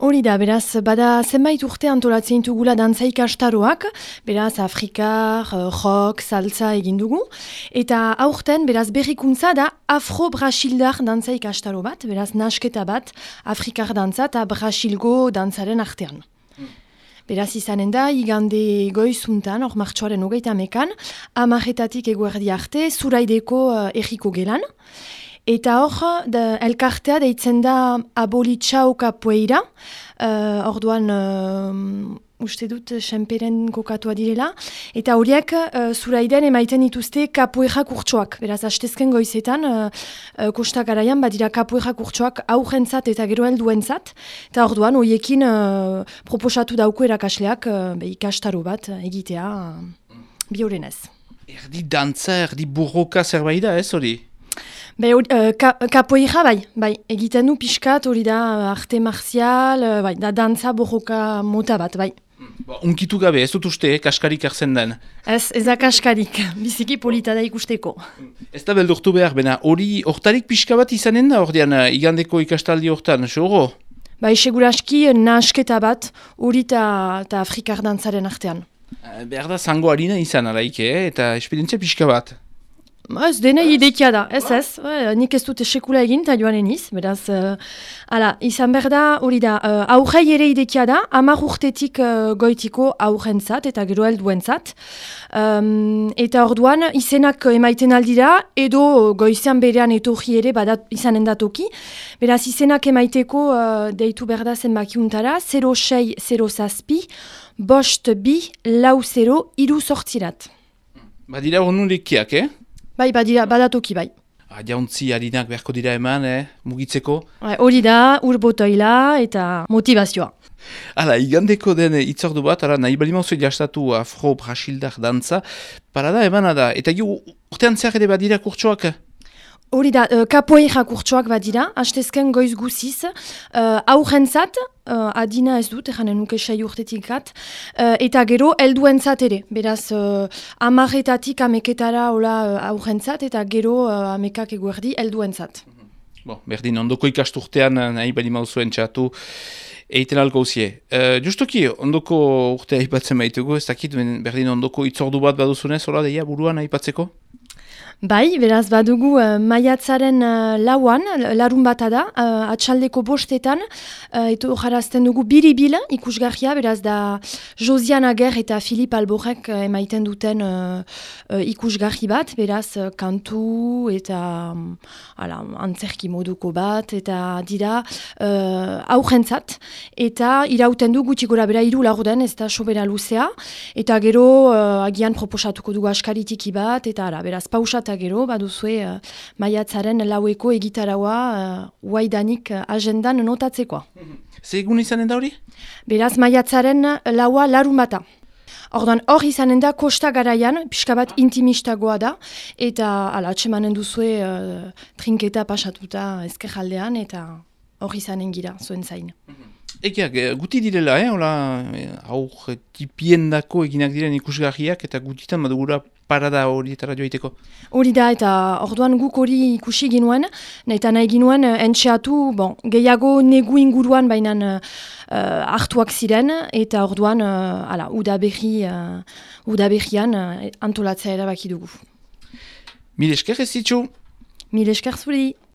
Hori da, beraz, bada zenbait urte antolatzen dugula dantza ikastaroak, beraz, afrikar, rock, salsa egin dugu, eta aurten, beraz, berrikuntza da afro-brasildar dantza ikastaro bat, beraz, nasketa bat, afrikar dantza eta brasilgo dantzaren artean. Beraz, izanen da, igande goizuntan, hor martxoaren 30ean, 10:00 eguerdi arte, Zuraideko erriko gelan. Eta hor, elkartea deitzen da Abolitxau Kapoeira, orduan uste dut senperen kokatua direla, eta horiek Zuraiden emaiten dituzte kapoeira kurtsoak. Beraz, hastezken goizetan, Kosta Garaian badira kapoeira kurtsoak aurrentzat eta gero helduentzat, eta orduan horiekin proposatu dauko erakasleak ikastaro bat egitea biorenez. Erdi dantza, erdi burroka zerbait da, ez hori? Kapoeira bai, egiten du pixkat, hori da arte marzial, da dantza borroka mota bat, bai. Unkitu gabe, ez dut uste, kaskarik arzen den? Ez da kaskarik, biziki polita da ikusteko. Ez da beldurtu behar, bena hori hortarik pixka bat izanen da, ordean igandeko ikastaldi hortan, xoro? Bai, seguraski nasketa bat, hori eta afrikar dantzaren artean. Behar da zango harina izan alaik, eta esperientzia pixka bat. Ez dena idekia da, ez, nik ez dute sekula egin eta joan eniz, beraz, izan behar da, hori da, aurrei ere idekia da, 10 urtetik goitiko aurrentzat eta gero helduentzat, eta orduan izenak emaiten aldira, edo goizean berean etorri ere izanen datoki, beraz izenak emaiteko deitu behar da zenbakiuntara, 0607 5-2-4-3 Badira honulekiak, Bai, badatoki bai. Jauntzi harinak beharko dira eman, mugitzeko? Hori da, urbotoila eta motivazioa. Hala, igandeko den itzordu bat, nahi balimauzu jastatu afro-brasildar dantza, parada emana da, eta urtean zer ere badira kurtsoak? Hori da, kapoeira kurtsoak badira, hastezken goiz guziz, aurrentzat, adina ez dut, eranen nuke 6 urtetikat, eta gero helduentzat ere, beraz 10:00 ameketara aurrentzat, eta gero 10:00 eguerdi helduentzat. Berdin, ondoko ikasturtean nahi balimauzu entxatu, eiten alko uzie. Justoki, ondoko urtea aipatzen baitugu, ez dakit, berdin ondoko itzordu bat baduzunez, hola deia buruan aipatzeko? Bai, beraz badugu maiatzaren 4, larun bata da, atxaldeko 5:00, eta jarazten dugu biribil ikusgarria, beraz da Josiane Ager eta Filip Alborek emaiten duten ikusgarri bat, beraz kantu eta antzerki moduko bat, eta dira aurrentzat, eta irauten du gutxi gora bera 3 laurden, ez da sobera luzea, eta gero agian proposatuko dugu askaritiki bat, eta beraz pausa eta gero, baduzue maiatzaren 4eko egitaraua waidanik agendan notatzekoa. Ze egun izanen da hori? Beraz, maiatzaren 4 larun bata. Orduan, hor izanen da Kosta Garaian, pixka bat intimistagoa da, eta atsemanen duzue trinketa pasatuta ezkerraldean, eta hor izanen gira, zuen zain. Egiak, guti direla, aur tipiendako eginak diren ikusgarriak, eta gutitan badugura parada horietara joiteko. Hori da, eta orduan guk hori ikusi ginuen, eta nahi ginuen entxeatu, gehiago negu inguruan bainan hartuak ziren, eta orduan udaberrian antolatzea erabaki dugu. Mil esker ez zitzu? Mil esker zuri.